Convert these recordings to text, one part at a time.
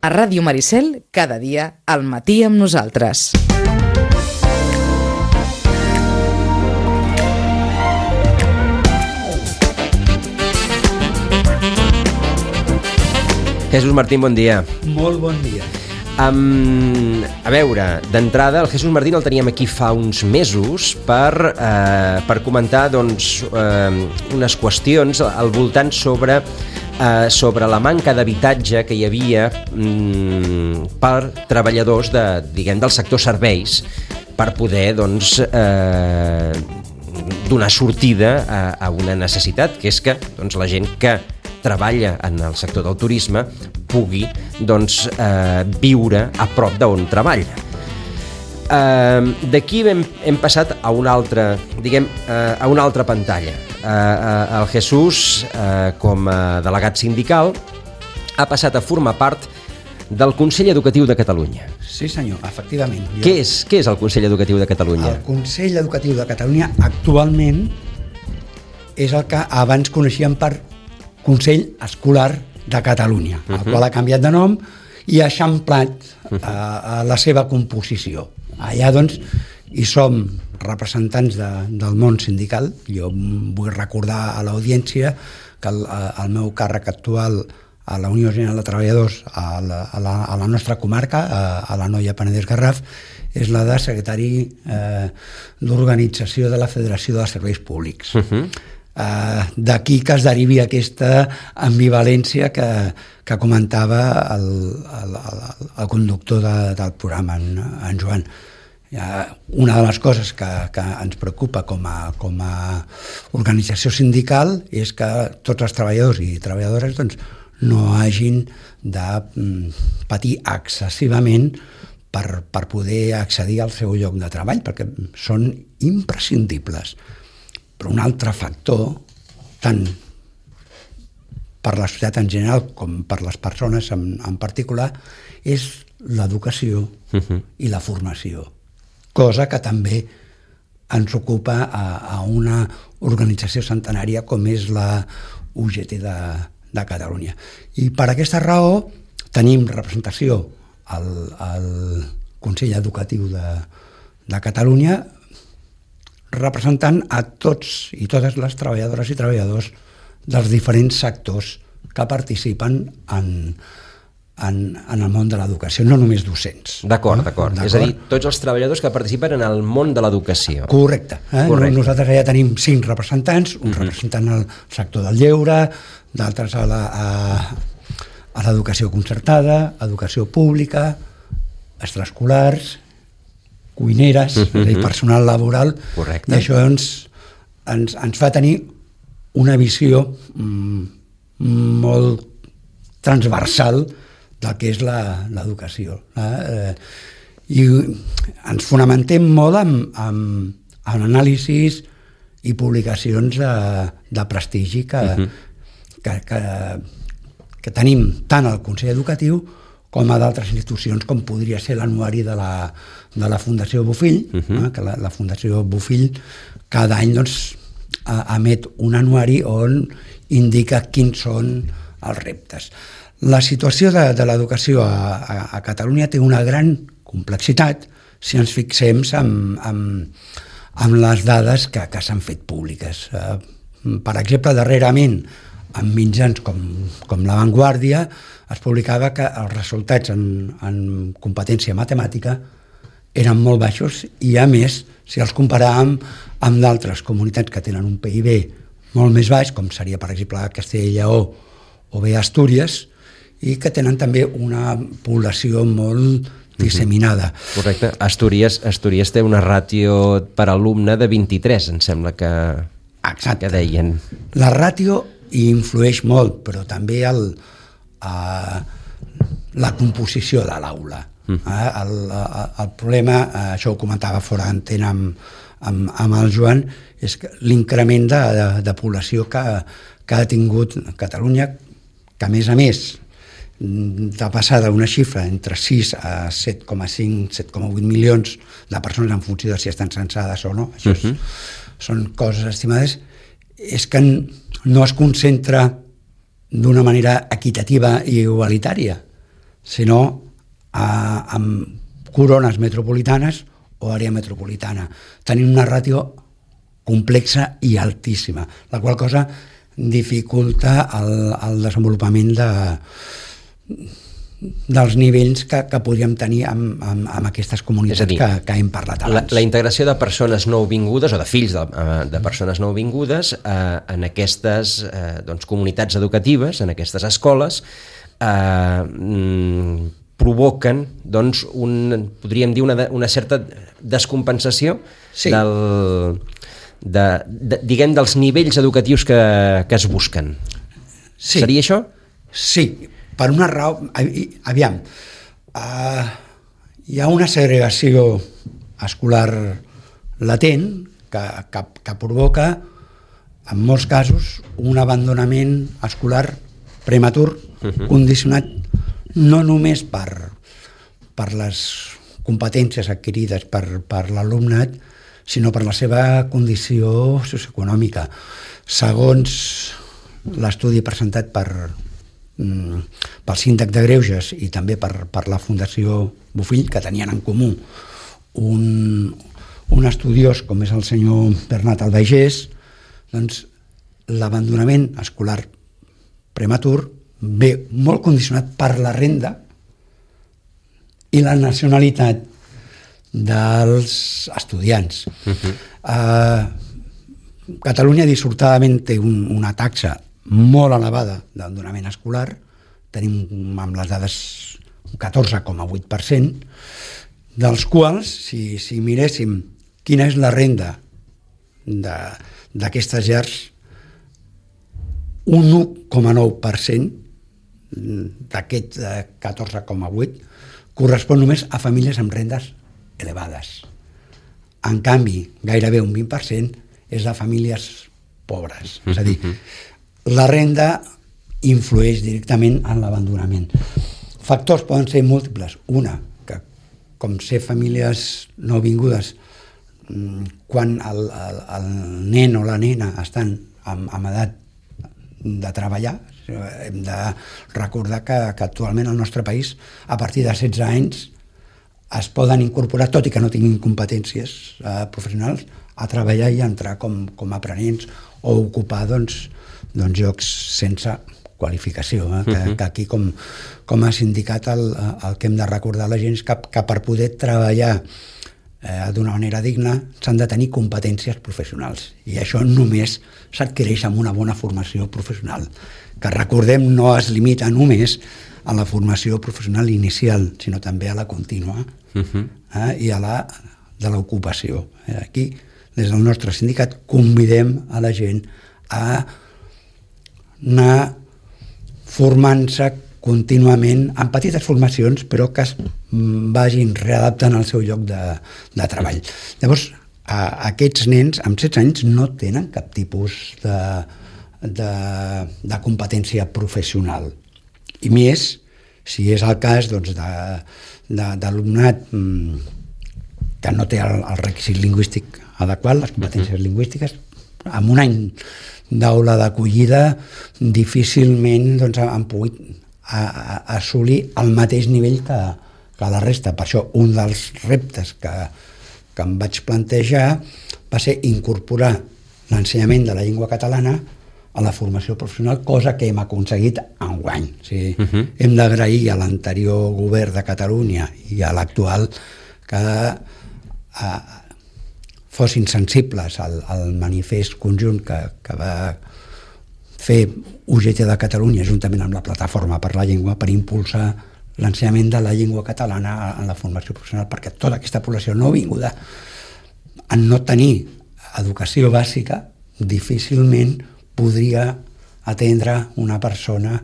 A Ràdio Maricel, cada dia, al matí amb nosaltres. Jesús Martín, bon dia. Molt bon dia. A veure, d'entrada, el Jesús Martín el teníem aquí fa uns mesos per comentar doncs, unes qüestions al voltant sobre la manca d'habitatge que hi havia per treballadors del sector serveis per poder doncs, donar sortida a una necessitat, que és que doncs, la gent que treballa en el sector del turisme pugui doncs, viure a prop d'on treballa. D'aquí hem passat a una altra, a una altra pantalla. El Jesús, com a delegat sindical, ha passat a formar part del Consell Educatiu de Catalunya. Sí, senyor, efectivament. Què és el Consell Educatiu de Catalunya? El Consell Educatiu de Catalunya actualment és el que abans coneixíem per Consell Escolar de Catalunya, el qual ha canviat de nom i ha eixamplat la seva composició. Allà, doncs, hi som representants del món sindical. Jo vull recordar a l'audiència que el meu càrrec actual a la Unió General de Treballadors a la nostra comarca, a l'Anoia Penedès Garraf, és la de secretari d'organització de la Federació de Serveis Públics. D'aquí que es derivi aquesta ambivalència que comentava el conductor del programa, en Joan. Una de les coses que ens preocupa com a organització sindical és que tots els treballadors i treballadores doncs, no hagin de patir excessivament per poder accedir al seu lloc de treball, perquè són imprescindibles. Però un altre factor, tant per la societat en general com per les persones en particular, és l'educació i la formació. Cosa que també ens ocupa a una organització centenària com és la UGT de Catalunya. I per aquesta raó tenim representació al Consell Educatiu de Catalunya, representant a tots i totes les treballadores i treballadors dels diferents sectors que participen en el món de l'educació, no només docents. D'acord. És a dir, tots els treballadors que participen en el món de l'educació. Correcte. Nosaltres ja tenim 5 representants, un representant al sector del lleure, d'altres a l'educació concertada, educació pública, extraescolars, cuineres, és a dir, personal laboral. Correcte. I això ens fa tenir una visió molt transversal del que és l'educació. I ens fonamentem molt en anàlisis i publicacions de prestigi que tenim tant al Consell Educatiu com a d'altres institucions, com podria ser l'anuari de la Fundació Bofill, que la Fundació Bofill cada any emet un anuari on indica quins són els reptes. La situació de l'educació a Catalunya té una gran complexitat si ens fixem en les dades que s'han fet públiques. Per exemple, darrerament, en mitjans com La Vanguardia, es publicava que els resultats en competència matemàtica eren molt baixos i, a més, si els comparàvem amb d'altres comunitats que tenen un PIB molt més baix, com seria, per exemple, Castella i Lleó o bé Astúries, i que tenen també una població molt disseminada. Correcte. Astúries té una ràtio per alumne de 23, em sembla que deien. La ràtio hi influeix molt, però també la composició de l'aula. El problema, això ho comentava fora d'antena amb el Joan, és que l'increment de població que ha tingut Catalunya, que a més, de passar d'una xifra entre 6 a 7,5, 7,8 milions de persones en funció de si estan censades o no, això són coses estimades, és que no es concentra d'una manera equitativa i igualitària, sinó amb corones metropolitanes o àrea metropolitana. Tenim una ràtio complexa i altíssima, la qual cosa dificulta el desenvolupament dels nivells que podríem tenir amb aquestes comunitats que hem parlat abans. La integració de persones nouvingudes o de fills de persones nouvingudes en aquestes comunitats educatives, en aquestes escoles, provoquen, podríem dir, una certa descompensació diguem, dels nivells educatius que es busquen. Sí. Seria això? Sí, per una raó. Aviam, hi ha una segregació escolar latent que provoca, en molts casos, un abandonament escolar prematur, condicionat no només per les competències adquirides per l'alumnat, sinó per la seva condició socioeconòmica. Segons l'estudi presentat pel Síndic de Greuges i també per la Fundació Bofill, que tenien en comú un estudiós com és el senyor Bernat Albaigés, doncs l'abandonament escolar prematur ve molt condicionat per la renda i la nacionalitat dels estudiants. Catalunya dissortadament té una taxa molt elevada d'abandonament escolar, tenim amb les dades un 14,8%, dels quals, si miréssim quina és la renda d'aquestes llars, un 1,9% d'aquest 14,8% correspon només a famílies amb rendes elevades. En canvi, gairebé un 20% és de famílies pobres. És a dir, la renda influeix directament en l'abandonament. Factors poden ser múltiples. Una, que com ser famílies nouvingudes, quan el nen o la nena estan en edat de treballar, hem de recordar que actualment al nostre país, a partir de 16 anys, es poden incorporar, tot i que no tinguin competències professionals, a treballar i entrar com aprenents o ocupar llocs sense qualificació. Que aquí, com ha sindicat, el que hem de recordar a la gent és que per poder treballar d'una manera digna s'han de tenir competències professionals, i això només s'adquireix amb una bona formació professional, que recordem no es limita només a la formació professional inicial, sinó també a la contínua i a la de l'ocupació. Aquí, des del nostre sindicat, convidem a la gent a anar formant-se contínuament en petites formacions, però que es vagin readaptant al seu lloc de treball. Llavors, aquests nens amb 16 anys no tenen cap tipus de competència professional. I més, si és el cas d'alumnat que no té el requisit lingüístic adequat, les competències lingüístiques, amb un any d'aula d'acollida difícilment han pogut assolir el mateix nivell que la resta. Per això un dels reptes que em vaig plantejar va ser incorporar l'ensenyament de la llengua catalana a la formació professional, cosa que hem aconseguit enguany. Hem d'agrair a l'anterior govern de Catalunya i a l'actual que fossin sensibles al manifest conjunt que va fer UGT de Catalunya juntament amb la Plataforma per la Llengua per impulsar l'ensenyament de la llengua catalana en la formació professional, perquè tota aquesta població nouvinguda, en no tenir educació bàsica, difícilment podria atendre una persona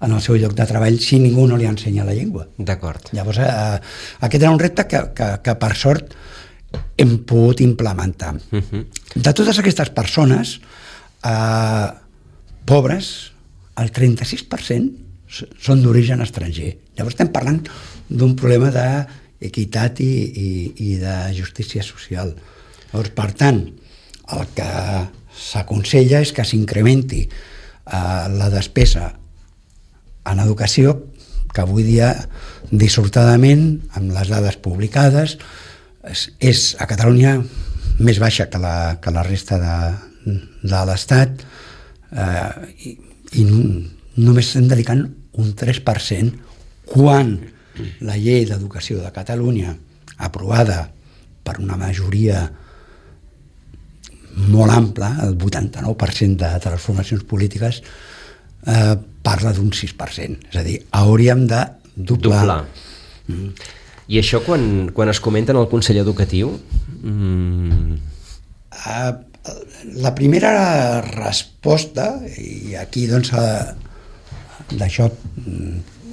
en el seu lloc de treball si ningú no li ensenya la llengua. D'acord. Llavors, aquest era un repte que per sort hem pogut implementar. De totes aquestes persones pobres, el 36% són d'origen estranger. Llavors estem parlant d'un problema d'equitat i de justícia social. Llavors, per tant, el que s'aconsella és que s'incrementi la despesa en educació, avui dia, dissortadament, amb les dades publicades, és a Catalunya més baixa que la resta de l'Estat, i només estem dedicant un 3%, quan la llei d'educació de Catalunya, aprovada per una majoria molt ampla, el 89% de les formacions polítiques, parla d'un 6%. És a dir, hauríem de doblar. I això quan es comenta en el Consell Educatiu? La primera resposta, i aquí doncs d'això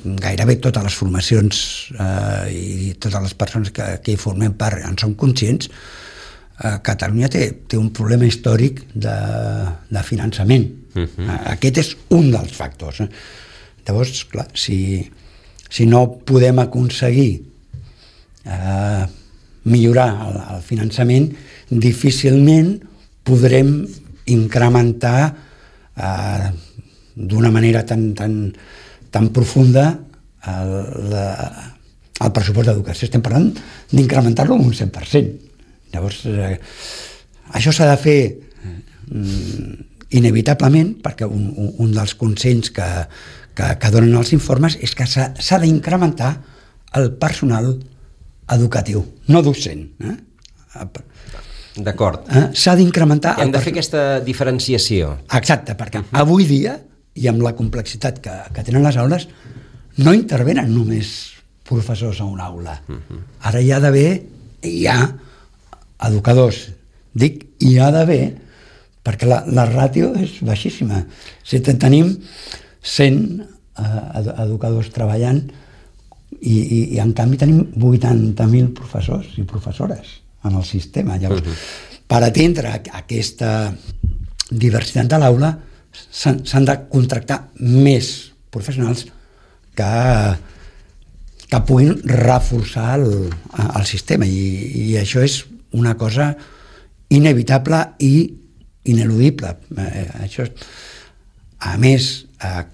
gairebé totes les formacions i totes les persones que hi formem part en són conscients, Catalunya té un problema històric de finançament. Aquest és un dels factors. Llavors, clar, si no podem aconseguir millorar el finançament, difícilment podrem incrementar d'una manera tan profunda el pressupost d'educació. Estem parlant d'incrementar-lo un 100%. Llavors, això s'ha de fer inevitablement, perquè un dels consells que donen els informes és que s'ha d'incrementar el personal educatiu, no docent. D'acord. S'ha d'incrementar... Hem de fer aquesta diferenciació. Exacte, perquè avui dia, i amb la complexitat que tenen les aules, no intervenen només professors a una aula. Ara hi ha educadors. Dic, hi ha d'haver, perquè la ràtio és baixíssima. Si tenim 100 educadors treballant i en canvi tenim 80.000 professors i professores en el sistema. Llavors, per atendre aquesta diversitat de l'aula s'han de contractar més professionals que puguin reforçar el sistema, i això és una cosa inevitable i ineludible. Això, a més,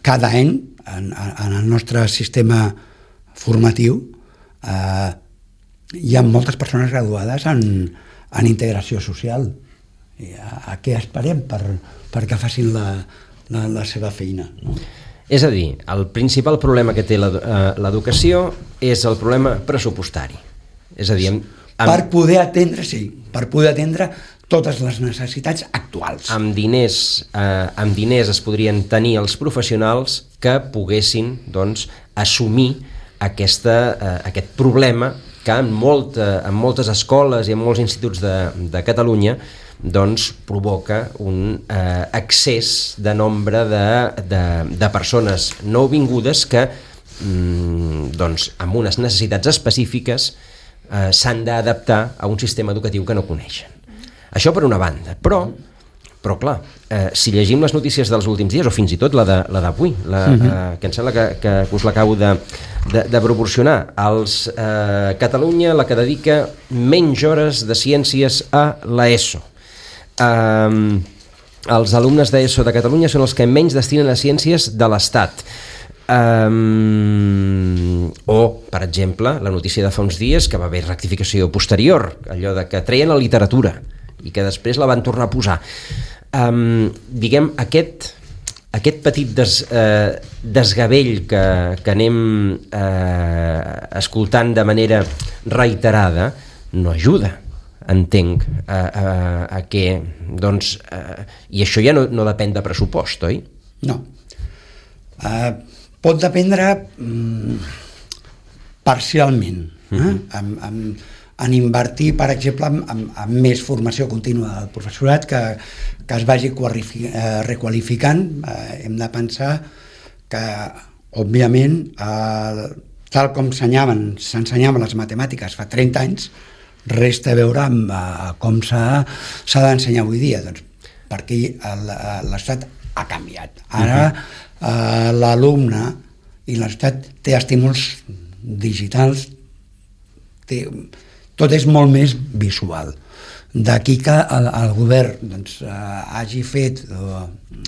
cada any en el nostre sistema formatiu hi ha moltes persones graduades en integració social. A què esperem perquè facin la seva feina? És a dir, el principal problema que té l'educació és el problema pressupostari. És a dir, per poder atendre totes les necessitats actuals. Amb diners es podrien tenir els professionals que poguessin, doncs, assumir aquest problema que en moltes escoles i en molts instituts de Catalunya doncs provoca un excés de nombre de persones nouvingudes que doncs, amb unes necessitats específiques s'han d'adaptar a un sistema educatiu que no coneixen. Això per una banda, però clar, si llegim les notícies dels últims dies, o fins i tot la d'avui, que em sembla que us l'acabo de proporcionar, Catalunya, la que dedica menys hores de ciències a l'ESO. Els alumnes d'ESO de Catalunya són els que menys destinen a ciències de l'Estat. O, per exemple, la notícia de fa uns dies que va haver rectificació posterior, allò de que treien la literatura i que després la van tornar a posar. Diguem, aquest petit desgavell que anem escoltant de manera reiterada no ajuda, entenc, a que, doncs, i això ja no depèn de pressupost, oi? No. Pot dependre parcialment, en invertir, per exemple, en més formació contínua del professorat, que es vagi requalificant. Hem de pensar que, òbviament, tal com s'ensenyaven les matemàtiques fa 30 anys, resta a veure com s'ha d'ensenyar avui dia, doncs, perquè l'estat ha canviat. Ara l'alumne i l'estat té estímuls digitals, tot és molt més visual. D'aquí que el govern doncs, hagi fet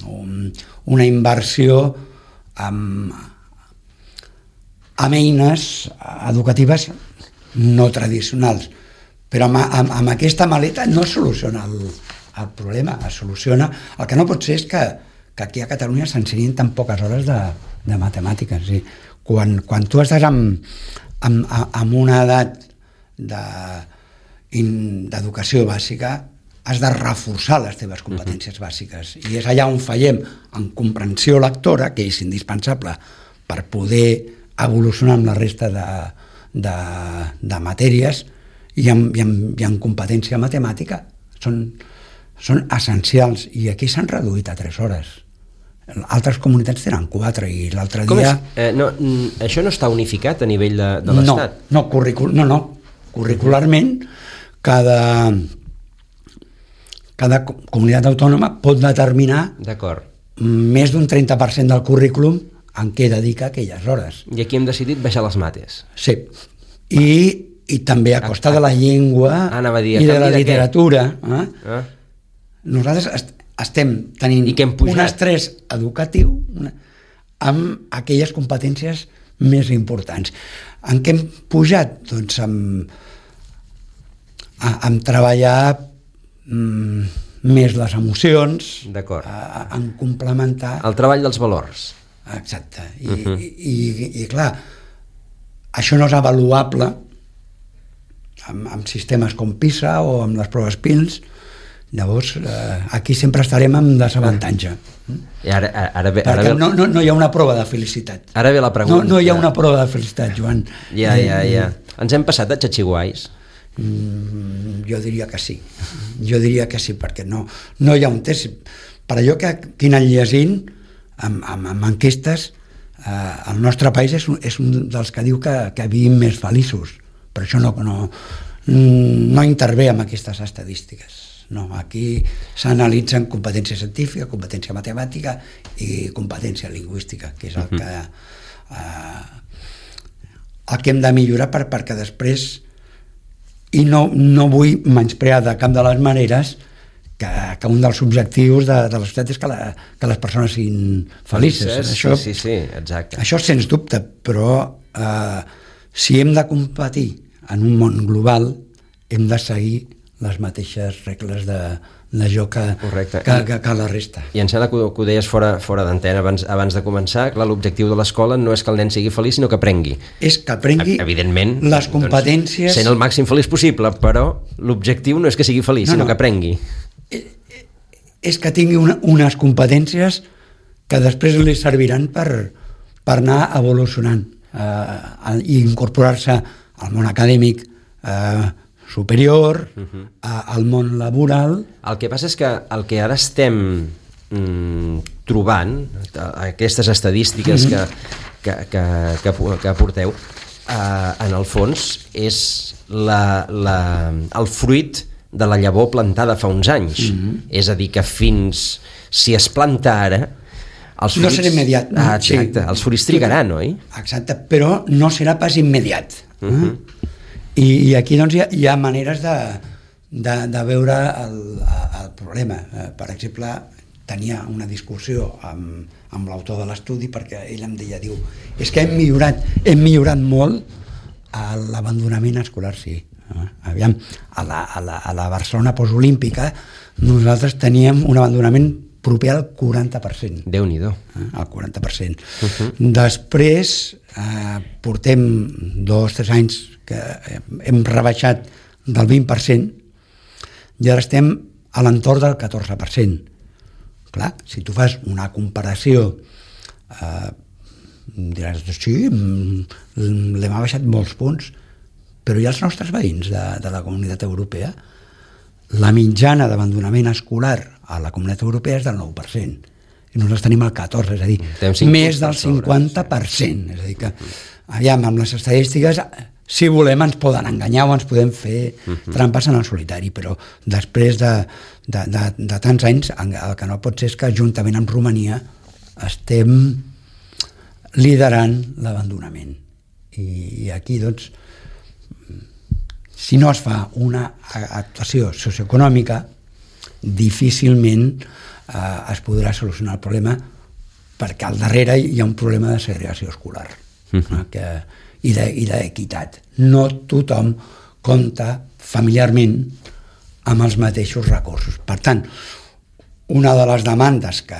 una inversió amb eines educatives no tradicionals. Però amb aquesta maleta no es soluciona el problema, es soluciona... El que no pot ser és que aquí a Catalunya s'ensenyin tan poques hores de matemàtiques. Sí. Quan tu estàs amb una edat d'educació bàsica, has de reforçar les teves competències bàsiques. I és allà on fallem en comprensió lectora, que és indispensable per poder evolucionar amb la resta de matèries, i en competència matemàtica són essencials, i aquí s'han reduït a 3 hores. Altres comunitats tenen 4, i l'altre dia... Això no està unificat a nivell de l'Estat? No, curricularment cada comunitat autònoma pot determinar més d'un 30% del currículum en què dedica aquelles hores. I aquí hem decidit baixar les mates. Sí, i també a costa de la llengua i de la literatura. Nosaltres estem tenint un estrès educatiu amb aquelles competències més importants. En què hem pujat? Doncs amb treballar més les emocions, en complementar... El treball dels valors. Exacte. I clar, això no és avaluable amb sistemes com PISA o amb les proves PILS. Llavors, aquí sempre estarem en desavantatge. Perquè no hi ha una prova de felicitat. Ara ve la pregunta. No hi ha una prova de felicitat, Joan. Ja. Ens hem passat a xatxiguais? Jo diria que sí. Perquè no hi ha un test. Per allò que he anat llegint amb enquestes, el nostre país és un dels que diu que vivim més feliços. Per això no intervé amb aquestes estadístiques. No, aquí s'analitzen competència científica, competència matemàtica i competència lingüística, que és el que hem de millorar perquè després, i no vull menysprear de cap de les maneres que un dels objectius de la societat és que les persones siguin felices. Sí, exacte. Això sens dubte, però si hem de competir en un món global, hem de seguir les mateixes regles de joc que la resta. I em sembla que ho deies fora d'antena abans de començar. Clar, l'objectiu de l'escola no és que el nen sigui feliç, sinó que aprengui. És que aprengui, evidentment, les competències... Sent el màxim feliç possible, però l'objectiu no és que sigui feliç, sinó que aprengui. És que tingui unes competències que després li serviran per anar evolucionant i incorporar-se al món acadèmic superior, al món laboral. El que passa és que el que ara estem trobant, aquestes estadístiques que aporteu, en el fons és el fruit de la llavor plantada fa uns anys. És a dir, que si es planta ara, els fruits... No serà immediat. Exacte, els fruits trigaran, oi? Exacte, però no serà pas immediat. I aquí doncs hi ha maneres de veure el problema. Per exemple, tenia una discussió amb l'autor de l'estudi, perquè ell em deia, és que hem millorat molt l'abandonament escolar, sí. Aviam, a la Barcelona postolímpica nosaltres teníem un abandonament proper al 40%. Déu-n'hi-do. Al 40%. Després portem 2 o 3 anys que hem rebaixat del 20% i ara estem a l'entorn del 14%. Clar, si tu fas una comparació diràs, sí, l'hem abaixat molts punts, però hi ha els nostres veïns de la Comunitat Europea. La mitjana d'abandonament escolar a la Comunitat Europea és del 9%. I nosaltres tenim el 14%, és a dir, més del 50%. És a dir que, aviam, amb les estadístiques, si volem ens poden enganyar o ens podem fer trampes en el solitari, però després de tants anys, el que no pot ser és que juntament amb Romania estem liderant l'abandonament. I aquí, doncs, si no es fa una actuació socioeconòmica, difícilment es podrà solucionar el problema, perquè al darrere hi ha un problema de segregació escolar. i d'equitat. No tothom compta familiarment amb els mateixos recursos. Per tant, una de les demandes que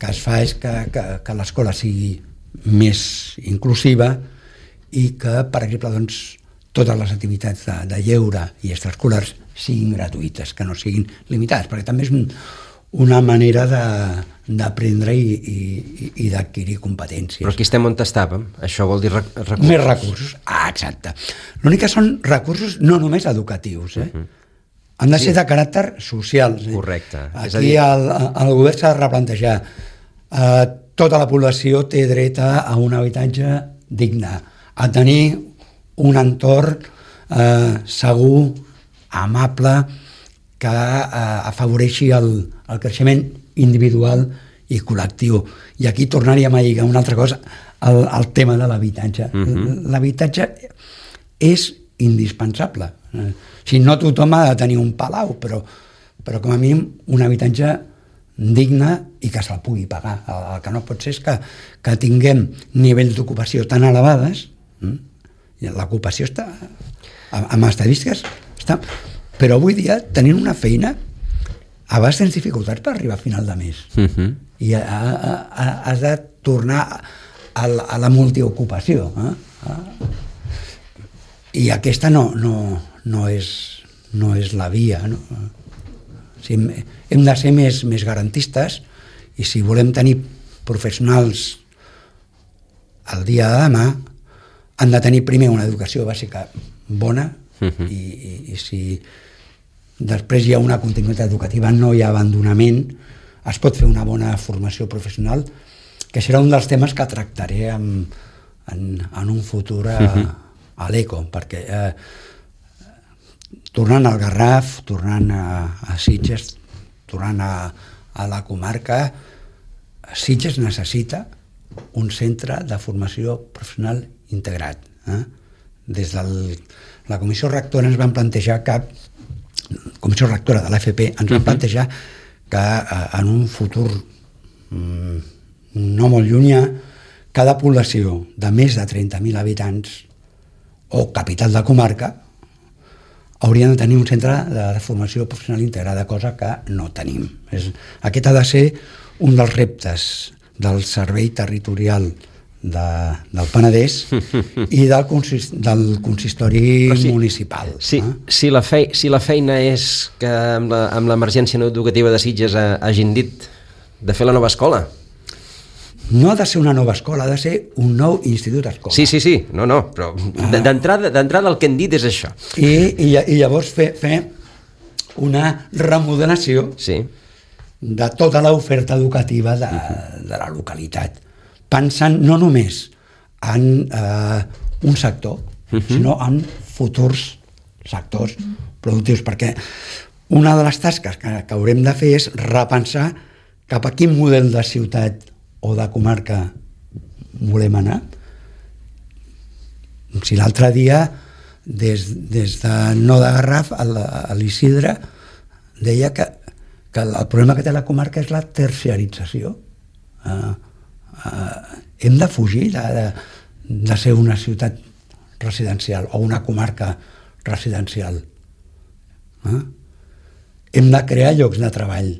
es fa és que l'escola sigui més inclusiva i que, per exemple, doncs, totes les activitats de lleure i extraescolars siguin gratuïtes, que no siguin limitades, perquè també és una manera d'aprendre i d'adquirir competències. Però aquí estem on estàvem, això vol dir recursos. Més recursos, exacte. L'únic que són recursos no només educatius, han de ser de caràcter social. Correcte. Aquí el govern s'ha de replantejar. Tota la població té dret a un habitatge digne, a tenir un entorn segur, amable, que afavoreixi el creixement individual i col·lectiu. I aquí tornaríem a lligar una altra cosa, el tema de l'habitatge. L'habitatge és indispensable. Si no tothom ha de tenir un palau, però com a mínim un habitatge digne i que se'l pugui pagar. El que no pot ser és que tinguem nivells d'ocupació tan elevades, l'ocupació està, amb estadístiques, està, però avui dia tenint una feina a vegades tens dificultats per arribar a final de mes i has de tornar a la multiocupació, i aquesta no és la via, no? O sigui, hem de ser més garantistes, i si volem tenir professionals el dia de demà han de tenir primer una educació bàsica bona, i si després hi ha una continuïtat educativa, no hi ha abandonament, es pot fer una bona formació professional, que serà un dels temes que tractaré en un futur a l'ECO, perquè tornant al Garraf, tornant a Sitges, tornant a la comarca, Sitges necessita un centre de formació professional integrat. Des de la comissió rectora ens van plantejar comissió rectora de l'AFP ens van plantejar que en un futur no molt llunyà, cada població de més de 30.000 habitants o capital de comarca haurien de tenir un centre de formació professional integrada, cosa que no tenim. Aquest ha de ser un dels reptes del servei territorial del Penedès i del consistori municipal. Si la feina és que amb l'emergència educativa de Sitges hagin dit de fer la nova escola. No ha de ser una nova escola, ha de ser un nou institut escola. Sí, no, però d'entrada el que hem dit és això. I llavors fer una remodelació de tota l'oferta educativa de la localitat, pensant no només en un sector, sinó en futurs sectors productius, perquè una de les tasques que haurem de fer és repensar cap a quin model de ciutat o de comarca volem anar. Si l'altre dia, des de No de Garraf, a l'Isidre, deia que el problema que té la comarca és la terciarització. Hem de fugir de ser una ciutat residencial o una comarca residencial. Hem de crear llocs de treball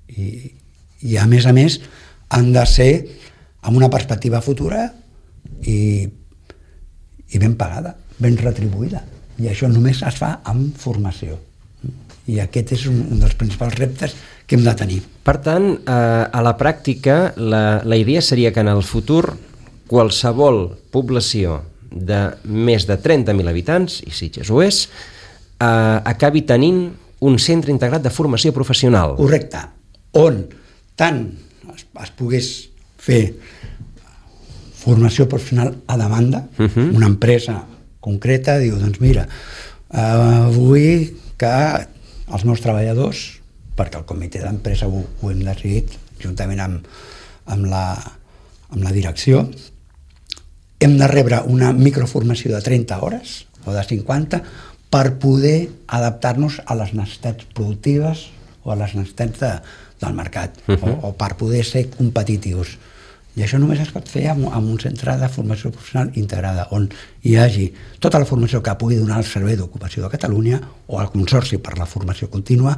i a més han de ser amb una perspectiva futura i ben pagada, ben retribuïda, i això només es fa amb formació, i aquest és un dels principals reptes que hem de tenir. Per tant, a la pràctica, la idea seria que en el futur qualsevol població de més de 30.000 habitants, i Sitges ho és, acabi tenint un centre integrat de formació professional. Correcte, on tant es pogués fer formació professional a demanda, una empresa concreta diu, doncs mira, vull que els meus treballadors, perquè el comitè d'empresa ho hem decidit juntament amb la direcció, hem de rebre una microformació de 30 hores o de 50 per poder adaptar-nos a les necessitats productives o a les necessitats del mercat, o per poder ser competitius. I això només es pot fer amb un centre de formació professional integrada, on hi hagi tota la formació que pugui donar el Servei d'Ocupació de Catalunya o el Consorci per la Formació Contínua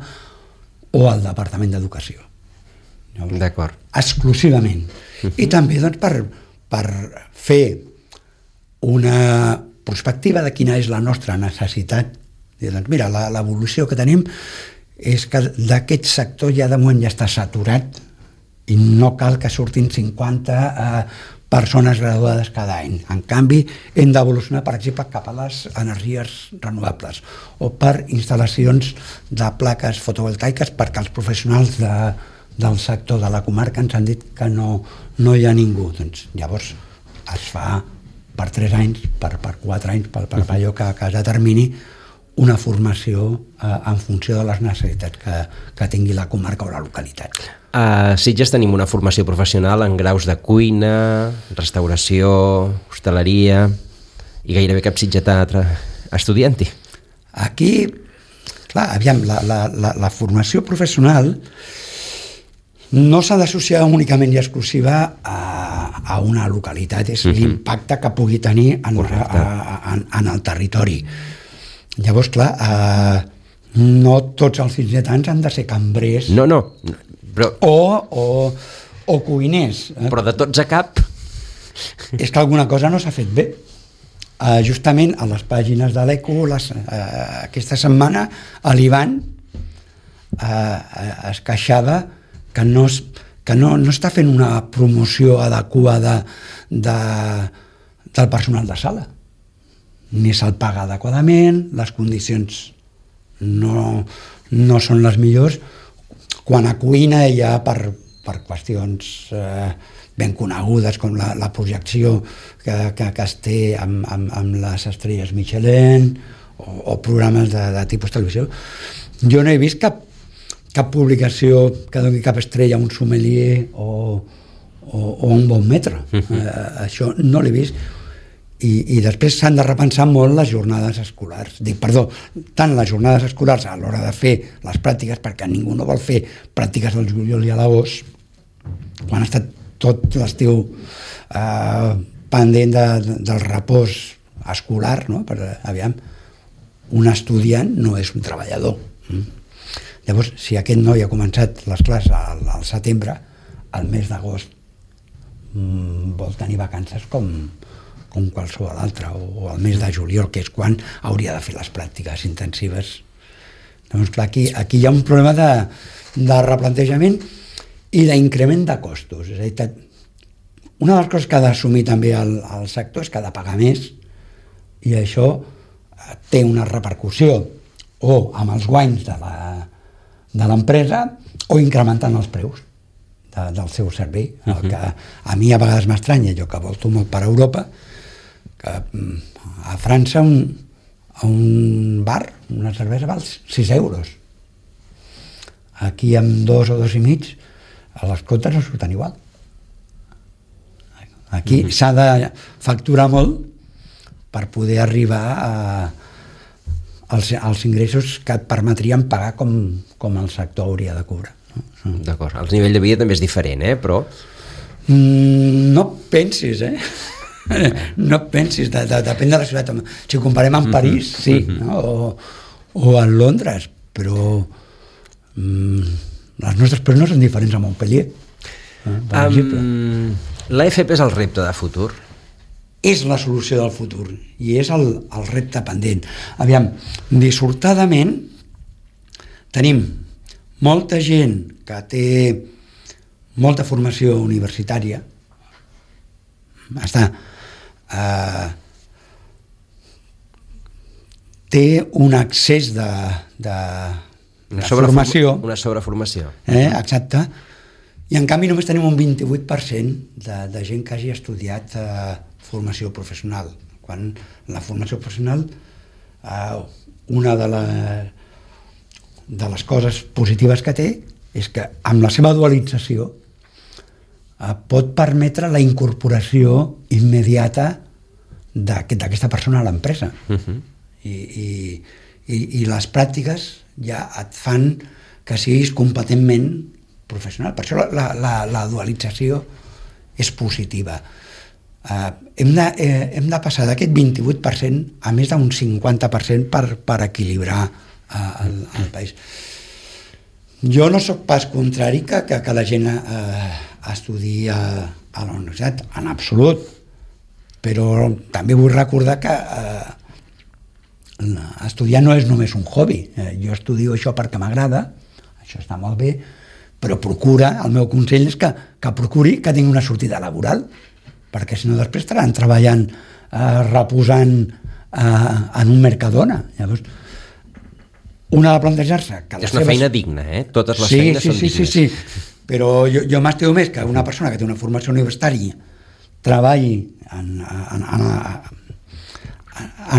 o el Departament d'Educació. D'acord. Exclusivament. I també doncs, per fer una perspectiva de quina és la nostra necessitat. Doncs, mira, l'evolució que tenim és que d'aquest sector ja de moment ja està saturat i no cal que surtin 50 persones graduades cada any. En canvi, hem d'evolucionar, per exemple, cap a les energies renovables o per instal·lacions de plaques fotovoltaiques, perquè els professionals del sector de la comarca ens han dit que no hi ha ningú. Doncs, llavors es fa per 3 anys, per 4 anys, per allò que es determini una formació en funció de les necessitats que tingui la comarca o la localitat. A Sitges tenim una formació professional en graus de cuina, restauració, hostaleria i gairebé cap sitgetà estudiant-hi. Aquí, clar, aviam, la formació professional no s'ha d'associar únicament i exclusiva a una localitat, és l'impacte que pugui tenir en el territori. Llavors, clar, no tots els sitgetans han de ser cambrers. No, però... O cuiners. Però de tots a cap... És que alguna cosa no s'ha fet bé. Justament a les pàgines de l'ECO, aquesta setmana, l'Ivan es queixava que no està fent una promoció adequada del personal de sala. Ni se'l paga adequadament, les condicions no són les millors. Quan a cuina hi ha per qüestions ben conegudes com la projecció que es té amb les estrelles Michelin o programes de tipus televisió, jo no he vist cap publicació que doni cap estrella a un sommelier o un bon metre. Això no l'he vist. I després s'han de repensar molt les jornades escolars. Tant les jornades escolars a l'hora de fer les pràctiques, perquè ningú no vol fer pràctiques del juliol i a l'agost, quan ha estat tot l'estiu pendent del repòs escolar, no? Aviam, un estudiant no és un treballador. Llavors, si aquest noi ha començat les classes al setembre, al mes d'agost vol tenir vacances com qualsevol altre, o al mes de juliol, que és quan hauria de fer les pràctiques intensives. Doncs clar, aquí hi ha un problema de replantejament i d'increment de costos. És a dir, una de les coses que ha d'assumir també el sector és que ha de pagar més, i això té una repercussió o amb els guanys de l'empresa o incrementant els preus del seu servei. El que a mi a vegades m'estranya, jo que volto molt per Europa, que a França a un bar una cervesa val 6 euros. Aquí amb 2 o 2,5 les comptes no surten igual. Aquí s'ha de facturar molt per poder arribar als ingressos que et permetrien pagar com el sector hauria de cobrar. D'acord, el nivell de vida també és diferent, però... No pensis, no pensis, depèn de la ciutat. Si ho comparem amb París, sí, o a Londres, però les nostres preus no són diferents a Montpellier, per exemple. L'AFP és el repte de futur? És la solució del futur i és el repte pendent. Aviam, dissortadament tenim molta gent que té molta formació universitària, té un excés de formació. Una sobreformació. Exacte. I en canvi només tenim un 28% de gent que hagi estudiat formació professional. Quan la formació professional, una de les coses positives que té és que amb la seva dualització pot permetre la incorporació immediata d'aquesta persona a l'empresa. I les pràctiques ja et fan que siguis competentment professional. Per això la dualització és positiva. Hem de passar d'aquest 28% a més d'un 50% per equilibrar el país. Jo no sóc pas contrari que la gent estudiï a la universitat, en absolut, però també vull recordar que estudiar no és només un hobby. Jo estudio això perquè m'agrada, això està molt bé, però el meu consell és que procuri que tingui una sortida laboral, perquè si no després estaran treballant reposant en un Mercadona. Llavors, una de plantejar-se que és una feina digna, totes les feines són dignes. Sí, però jo m'estimo més que una persona que té una formació universitària treballi en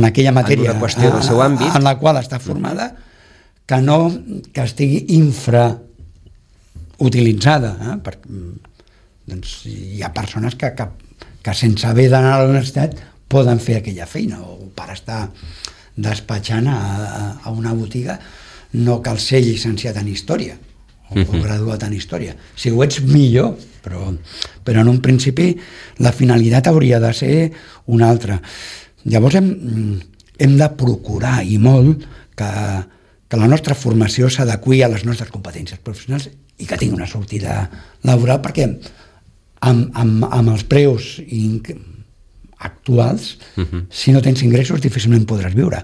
aquella matèria en una qüestió del seu àmbit en la qual està formada, que no que estigui infrautilitzada, doncs hi ha persones que sense haver d'anar a la universitat poden fer aquella feina, o per estar despatxant a una botiga no cal ser llicenciat en història o graduat en història. Si ho ets, millor, però en un principi la finalitat hauria de ser una altra. Llavors hem de procurar i molt que la nostra formació s'adeqüi a les nostres competències professionals i que tingui una sortida laboral, perquè amb els preus actuals, si no tens ingressos difícilment podràs viure.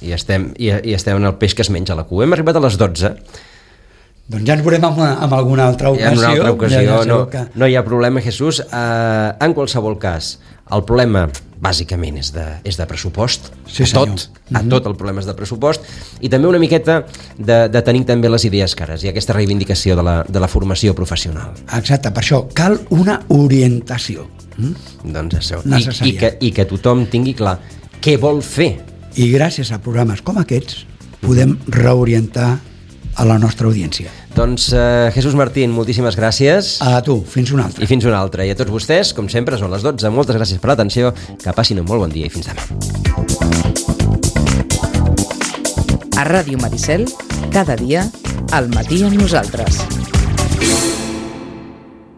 I estem en el peix que es menja la cua. Hem arribat a les 12. Doncs ja ens veurem en alguna altra ocasió. En una altra ocasió, no hi ha problema, Jesús. En qualsevol cas, el problema bàsicament és de pressupost. Sí, a tot el problema és de pressupost, i també una miqueta de tenir també les idees clares i aquesta reivindicació de la formació professional. Exacte, per això cal una orientació. Doncs això, i que tothom tingui clar què vol fer. I gràcies a programes com aquests podem reorientar a la nostra audiència. Doncs Jesús Martín, moltíssimes gràcies. A tu, fins una altra. I fins una altra. I a tots vostès, com sempre, són les 12. Moltes gràcies per l'atenció, que passin un molt bon dia i fins demà. A Ràdio Maricel, cada dia, al matí amb nosaltres.